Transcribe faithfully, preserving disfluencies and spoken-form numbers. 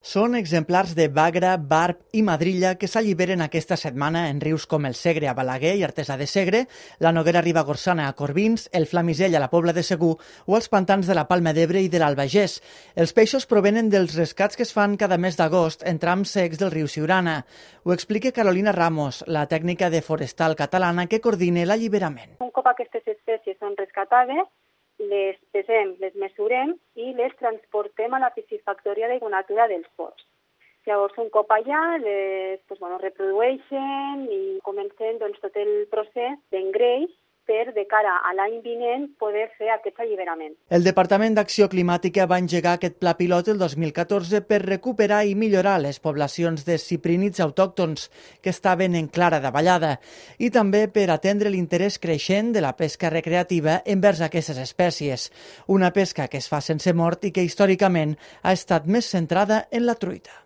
Són exemplars de bagra, barb i madrilla que s'alliberen aquesta setmana en rius com el Segre a Balaguer i Artesà de Segre, la Noguera Ribagorçana a Corbins, el Flamisell a la Pobla de Segur o els pantans de la Palma d'Ebre i de l'Albagés. Els peixos provenen dels rescats que es fan cada mes d'agost en trams secs del riu Siurana. Ho explica Carolina Ramos, la tècnica de forestal catalana que coordina l'alliberament. Un cop aquestes espècies són rescatades, les pesem, les mesurem i les transportem a la piscifactòria d'aigua natura dels ports. Llavors, un cop allà, les pues, bueno, reprodueixen i comencen doncs, tot el procés d'engreix per, de cara a l'any vinent, poder fer aquest alliberament. El Departament d'Acció Climàtica va engegar aquest pla pilot el dos mil catorze per recuperar i millorar les poblacions de ciprínids autòctons que estaven en clara davallada i també per atendre l'interès creixent de la pesca recreativa envers aquestes espècies, una pesca que es fa sense mort i que històricament ha estat més centrada en la truita.